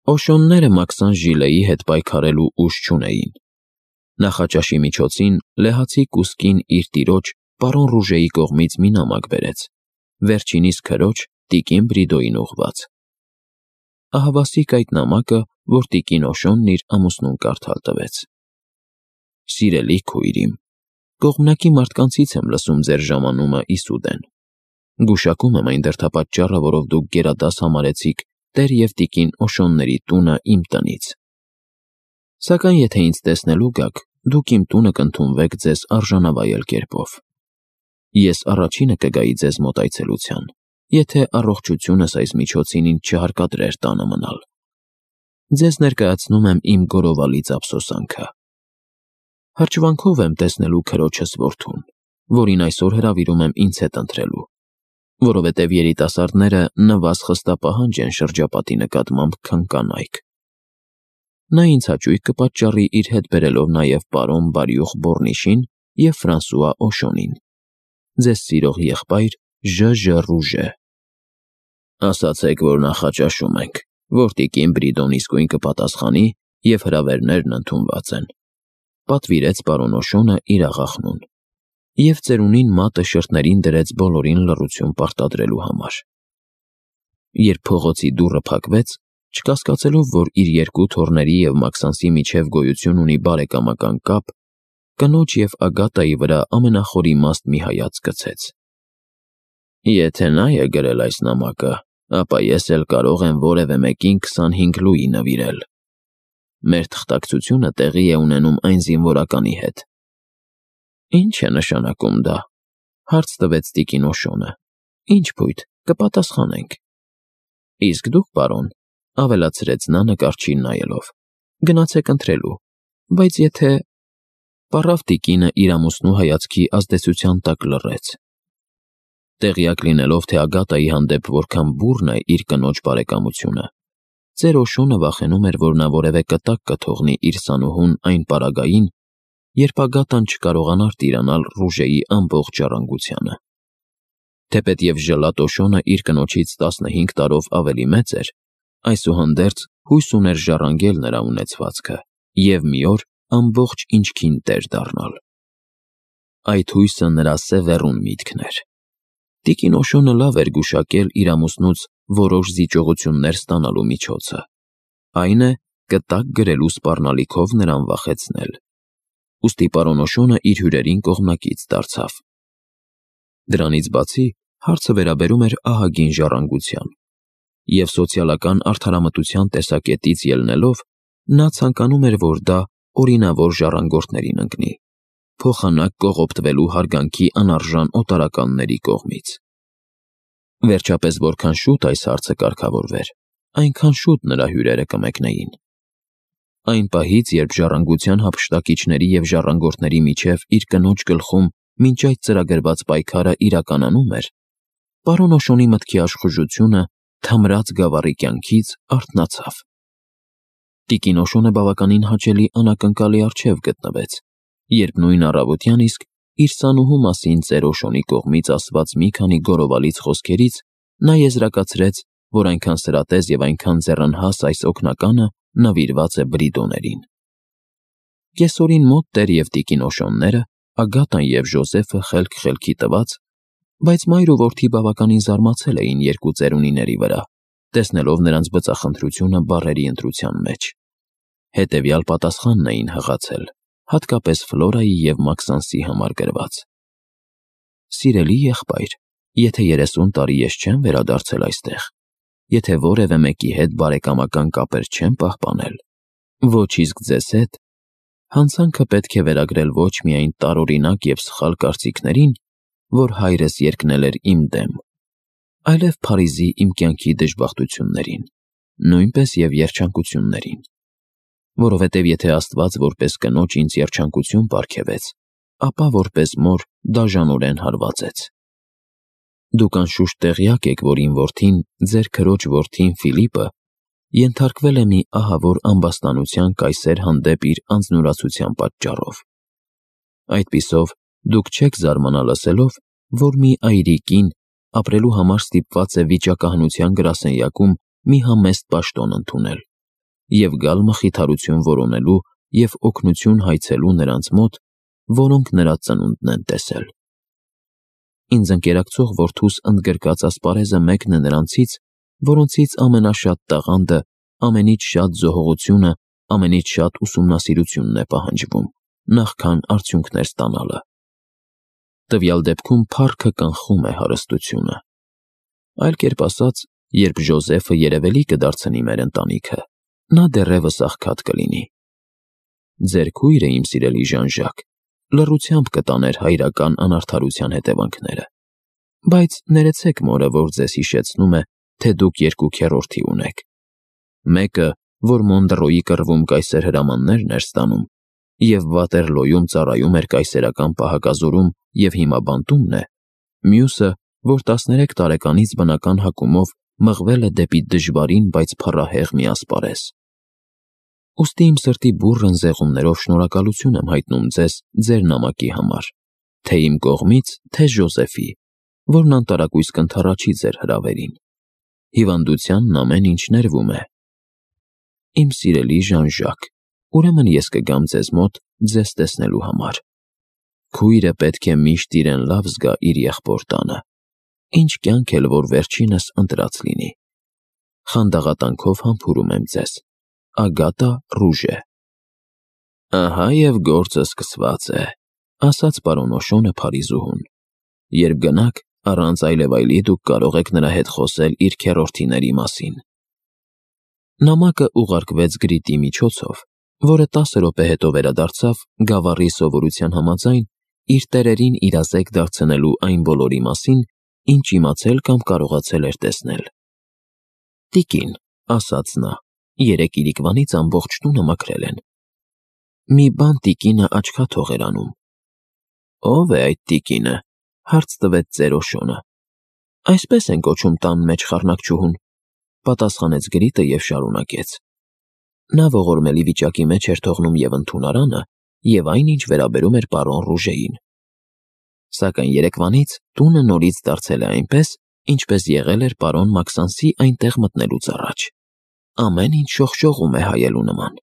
Օշոնները Մաքսան Ժիլեի հետ պայքարելու ուժ չունեին։ Նախաճաշի միջոցին լեհացի կուսկին իր տիրոջ պարոն Ռուժեի կողմից մի նամակ բերեց, վերջինիս քրոջ տիկին Բրիդոյին ուղղված։ Ահավասիկ այդ նամակը, որ տիկին Օշոնն իր ամուսնուն կարդալ տվեց. Սիրելի քույր իմ, կողմնակի մարդկանցից եմ լսում ձեր ժամանումը իսուդեն։ Գուշակում եմ այն դրդապատճառը, որով դուք գերադաս համարեցիք տեր և տիկին Օշոնների տունը իմ տնից։ Սակայն եթե ինձ տեսնելու գաք, դուք իմ տունը կընդունվեք ձեզ արժանավայել կերպով։ Ես առաջինը կգայի ձեզ մոտ այցելության, եթե առողջությունս այս միջոցին ինձ չհարկադրեր տանը մնալ։ Ձեզ ներկայացնում եմ իմ գորովալից ափսոսանքը։ Հրճվանքով եմ տեսնելու քրոջս որդուն, որին այսօր հրավիրում եմ ինձ հետ ընթրելու, որովհետև երիտասարդները նվազ խստապահանջ են շրջապատի նկատմամբ, քան կանայք։ Նա ինձ հաճույք կպատճառի իր հետ բերելով նաև պարոն Բարյուխ Բորնիշին և Ֆրանսուଆ Օշոնին, ձեզ սիրող եղբայր Ժ. Ռուժե։ Ասացեք, որ նախաճաշում ենք, որ տիկին Բրիդոն իսկույն կպատասխանի և հրավերներն ընդունված են, պատվիրեց պարոն Օշոնը իր աղախնուն և ծերունին մատը շրթներին դրեց բոլորին լռություն պարտադրելու համար։ Երբ փողոցի դուռը փակվեց, չկասկածելով, որ իր երկու թոռների և Մաքսանսի միջև գոյություն ունի բարեկամական կապ, կնոջ և Ագատայի վրա ամենախորիմաստ մի հայացք գցեց։ Եթե նա է գրել այս նամակը, ապա ես էլ կարող եմ որևէ մեկին 25 լուի նվիրել։ Մեր թղթակցությունը տեղի է ունենում այն զինվորականի հետ։ Ինչ է նշանակում դա, հարց տվեց տիկին Օշոնը։ Ինչ փույթ, կպատասխանենք։ Իսկ դուք, պարոն, ավելացրեց նա նկարչին նայելով, գնացեք ընթրելու, բայց եթե… Պառավ տիկինը իր ամուսնու հայացքի ազդեցության տակ լռեց։ Տեղյակ լինելով, թե Ագատայի հանդեպ որքան բուռն է իր կնոջ բարեկամությունը, ծեր Օշոնը վախենում էր, որ նա որևէ կտակ կթողնի իր սանուհուն այն պարագային, երբ Ագատան չկարողանար տիրանալ Ռուժեի ամբողջ ժառանգությանը։ Թեպետև ժլատ Օշոնը իր կնոջից 15 տարով ավելի մեծ էր, այսուհանդերձ հույս ուներ ժառանգել նրա ունեցվածքը և մի օր ամբողջ ինչքին տեր դառնալ։ Այդ հույսը նրա սևեռուն միտքն էր։ Տիկին Օշոնը լավ էր գուշակել իր ամուսնուց որոշ զիջողություններ ստանալու միջոցը, այն է, կտակ գրելու սպառնալիքով նրան վախեցնել։ Ուստի պարոն Օշոնը իր հյուրերին կողմնակից դարձավ։ Դրանից բացի, հարցը վերաբերում էր ահագին ժառանգության, և սոցիալական արդարամտության տեսակետից ելնելով, նա ցանկանում էր, որ դա օրինավոր ժառանգորդներին ընկնի, փոխանակ կողոպտվելու հարգանքի անարժան օտարականների կողմից։ Վերջապես, որքան շուտ այս հարցը կարգավորվեր, այնքան շուտ նրա հյուրերը կմեկնեին։ Այն պահից, երբ ժառանգության հափշտակիչների և ժառանգորդների միջև իր կնոջ գլխում մինչ այդ ծրագրված պայքարը իրականանում էր, պարոն Օշոնի մտքի աշխուժությունը թմրած գավառի կյանքից արթնացավ։ Տիկին Օշոնը բավականին հաճելի անակնկալի առջև գտնվեց, երբ նույն առավոտյան իսկ իր սանուհու մասին ծեր Օշոնի կողմից ասված մի քանի գորովալից խոսքերից նա եզրակացրեց, որ այնքան սրատես և այնքան ձեռնհաս այս օգնականը նվիրված է Բրիդոներին։ Կեսօրին մոտ տեր և տիկին Օշոնները, Ագատան և Ժոզեֆը խելք-խելքի տված, բայց մայր ու որդի բավականին զարմացել էին երկու ծերունիների վրա, տեսնելով նրանց բծախնդրությունը բառերի ընտրության մեջ։ Հետևյալ պատասխանն էին հղացել, հատկապես Ֆլորայի և Մաքսանսի համար գրված. Սիրելի եղբայր, եթե 30 տարի ես չեմ վերադարձել այստեղ, եթե որևէ մեկի հետ բարեկամական կապեր չեմ պահպանել, ոչ իսկ ձեզ հետ, հանցանքը պետք է վերագրել ոչ միայն տարօրինակ և սխալ կարծիքներին, որ հայրս երկնել էր իմ դեմ, այլև Փարիզի իմ կյանքի դժբախտություններին, նույնպես և երջանկություններին, որովհետև եթե Աստված որպես կնոջ ինձ երջանկություն պարգևեց, ապա որպես մոր դաժանորեն հարվածեց։ Դուք անշուշտ տեղյակ եք, որ իմ որդին, ձեր քրոջ որդին Ֆիլիպը, ենթարկվել է մի ահավոր ամբաստանության կայսեր հանդեպ իր անձնուրացության պատճառով։ Այդպիսով, դուք չեք զարմանա լսելով, որ մի այրիկին ապրելու համար ստիպված է վիճակահանության գրասենյակում մի համեստ պաշտոն ընդունել, և գալ մխիթարություն որոնելու և օգնություն հայցելու նրանց մոտ, որոնք նրա ծնունդն են տեսել։ Ինձ ընկերակցող որդուս ընդգրկած ասպարեզը մեկն է նրանցից, որոնցից ամենաշատ տաղանդը, ամենից շատ զոհողությունը, ամենից շատ ուսումնասիրությունն է պահանջվում, նախքան արդյունքներ ստանալը։ Տվյալ դեպքում փառքը կանխում է հարստությունը։ Այլ կերպ ասած, երբ Ժոզեֆը երևելի կդարձնի մեր ընտանիքը, նա դեռևս աղքատ կլինի։ Ձեր քույրը, իմ սիրելի Ժան-Ժակ, լռությամբ կտաներ հայրական անարդարության հետևանքները, բայց ներեցեք մորը, որ ձեզ հիշեցնում է, թե դուք երկու քեռորդի ունեք։ Մեկը, որ Մոնդրոյի կռվում կայսեր հրամաններն էր ստանում, և Վատերլոյում ծառայում էր կայսերական պահակազորում և հիմա բանտումն է, մյուսը, որ 13 տարեկանից բնական հակումով մղվել է դեպի դժվարին, բայց փառահեղ մի ասպարեզ։ Ուստի իմ սրտի բուռն զեղումներով շնորհակալություն եմ հայտնում ձեզ ձեր նամակի համար, թե իմ կողմից, թե Ժոզեֆի, որն անտարակույս կընդառաջի ձեր հրավերին։ Հիվանդությանն ամեն ինչ ներվում է։ Իմ սիրելի Ժան-Ժակ, ուրեմն ես կգամ ձեզ մոտ ձեզ տեսնելու համար։ Քույրը պետք է միշտ իրեն լավ զգա իր եղբոր տանը, ինչ կյանք էլ որ վերջինս ընտրած լինի։ Խանդաղատանքով համբուրում եմ ձեզ։ Ագատա Ռուժե։ Ահա և գործը սկսված է, ասաց պարոն Օշոնը Փարիզուհուն։ Երբ գնաք, առանց այլևայլի դուք կարող եք նրա հետ խոսել իր քեռորդիների մասին։ Նամակը ուղարկվեց գրիտի միջոցով, որը 10 րոպե հետո վերադարձավ գավառի սովորության համաձայն իր տերերին իրազեկ դարձնելու այն բոլորի մասին, ինչ իմացել կամ կարողացել էր տեսնել։ Տիկին, ասաց նա, երեկ իրիկվանից ամբողջ տունը մաքրել են։ Մի բան տիկինը աչքաթող էր անում։ Ո՞վ է այդ տիկինը, հարց տվեց ծեր Օշոնը։ Այսպես են կոչում տան մեջ խառնակչուհուն, պատասխանեց գրիտը և շարունակեց. Նա ողորմելի վիճակի մեջ էր թողնում և ընդունարանը, և այն, ինչ վերաբերում էր պարոն Ռուժեին։ Սակայն երեկվանից տունը նորից դարձել է այնպես, ինչպես եղել էր պարոն Մաքսանսի այնտեղ մտնելուց առաջ։ Ամեն ինչ շողշողում է հայելու նման։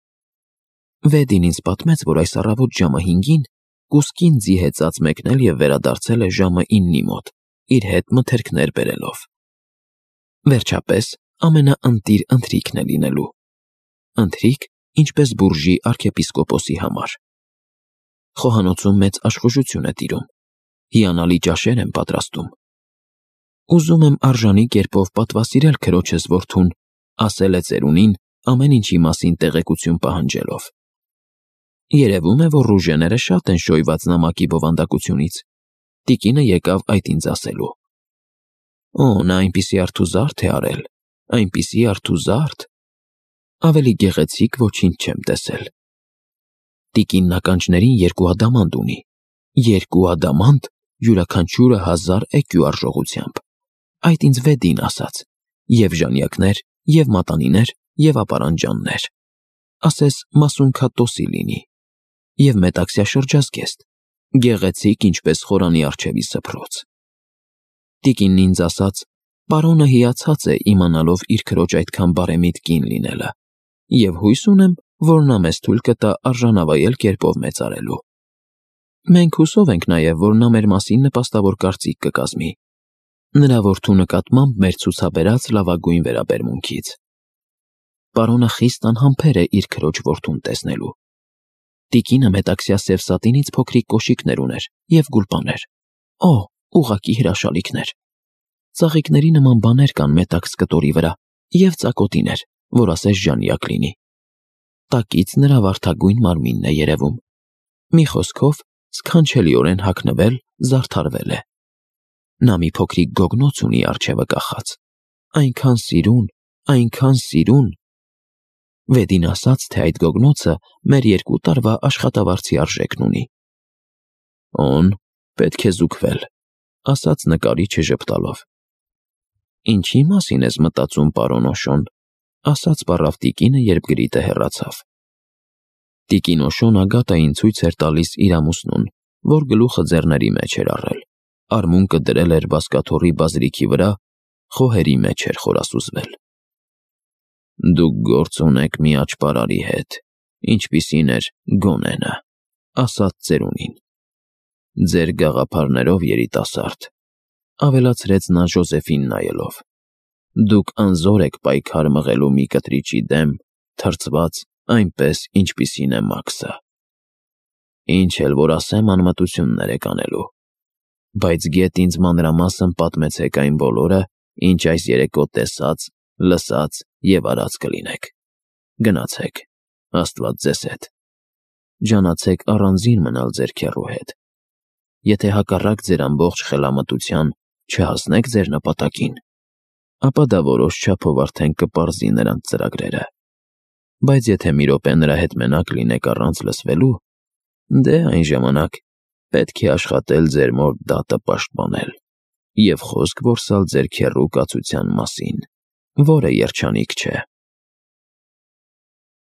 Վեդին ինձ պատմեց, որ այս առավոտ ժամը 5-ին կուսկին ձի հեծած մեկնել և վերադարձել է ժամը 9-ի մոտ, իր հետ մթերքներ բերելով։ Վերջապես, ամենաընտիր ընթրիքն է լինելու։ Ընթրիք, ինչպես բուրժի արքեպիսկոպոսի համար։ Խոհանոցում մեծ աշխուժություն է տիրում։ Հիանալի ճաշեր են պատրաստում։ Ուզում եմ արժանի կերպով պատվասիրել քրոջս որդուն, ասել է ծերունին, ամեն ինչի մասին տեղեկություն պահանջելով։ Երևում է, որ Ռուժեները շատ են շոյված նամակի բովանդակությունից։ Տիկինը եկավ այդ ինձ ասելու։ Օ, նա այնպիսի արթուզարդ է արել, այնպիսի արթուզարդ։ Ավելի գեղեցիկ ոչինչ չեմ տեսել։ Տիկինն ականջներին 2 ադամանդ ունի։ 2 ադամանդ, յուրաքանչյուրը 1000 էկյու արժողությամբ։ Այդ ինձ Վեդին ասաց։ Եվ ժանյակներ, և մատանիներ, և ապարանջաններ։ Ասես մասունքատոսի լինի։ Եվ մետաքսյա շրջազգեստ, գեղեցիկ ինչպես խորանի առջևի սփռոց։ Տիկինն ինձ ասաց, պարոնը հիացած է իմանալով իր քրոջ այդքան բարեմիտ կին լինելը, և հույս ունեմ, որ նա մեզ թույլ կտա արժանավայել կերպով մեծարելու։ Մենք հուսով ենք նաև, որ նա մեր մասին նպաստավոր կարծիք կկազմի, նրա որդու նկատմամբ մեր ցուցաբերած լավագույն վերաբերմունքից։ Պարոնը խիստ անհամբեր է իր քրոջ որդուն տեսնելու։ Տիկինը մետաքսյա սև սատինից փոքրիկ կոշիկներ ուներ և գուլպաներ։ Օ, ուղղակի հրաշալիքներ։ Ծաղիկների նման բաներ կան մետաքս կտորի վրա և ծակոտիներ, որ ասես ժանյակ լինի։ Տակից նրա վարդագույն մարմինն է երևում։ Մի խոսքով, սքանչելիորեն հագնվել, զարդարվել է։ Նա մի փոքրիկ գոգնոց ունի առջևը կախած։ Այնքան սիրուն։ Վեդին ասաց, թե այդ գոգնոցը մեր 2 տարվա աշխատավարձի արժեքն ունի։ Օն, պետք է զուգվել, ասաց նկարիչը ժպտալով։ Ինչի մասին ես մտածում, պարոն Օշոն, ասաց պառավ տիկինը, երբ գրիտը հեռացավ։ Տիկին Օշոն Ագատային ցույց էր տալիս իր ամուսնուն, որ գլուխը ձեռների մեջ էր առել, արմունկը դրել էր բազկաթոռի բազրիքի վրա, խոհերի մեջ էր խորասուզվել։ Դուք գործ ունեք մի աճպարարի հետ, ինչպիսին էր Գոնենը, ասաց ծերունին։ Ձեր գաղափարներով, երիտասարդ, ավելացրեց նա Ժոզեֆին նայելով։ Դուք անզոր եք պայքար մղելու մի կտրիճի դեմ, թրջված այնպես, ինչպիսին է Մաքսը։ Ինչ էլ որ ասեմ, անմտություններ եք անելու։ Բայց գեթ ինձ մանրամասն պատմեցեք այն բոլորը, ինչ այս երեկո տեսած, լսած և արած կլինեք։ Գնացեք, Աստված ձեզ հետ։ Ջանացեք առանձին մնալ ձեր քեռու հետ։ Եթե հակառակ ձեր ամբողջ խելամտության չհասնեք ձեր նպատակին, ապա դա որոշ չափով արդեն կպարզի նրանց ծրագրերը։ Բայց եթե մի րոպե նրա հետ մենակ լինեք առանց լսվելու, դե այն ժամանակ պետք է աշխատել ձեր մոր դատը պաշտպանել և խոսք որսալ ձեր քեռու կացության մասին, որը երջանիկ չէ։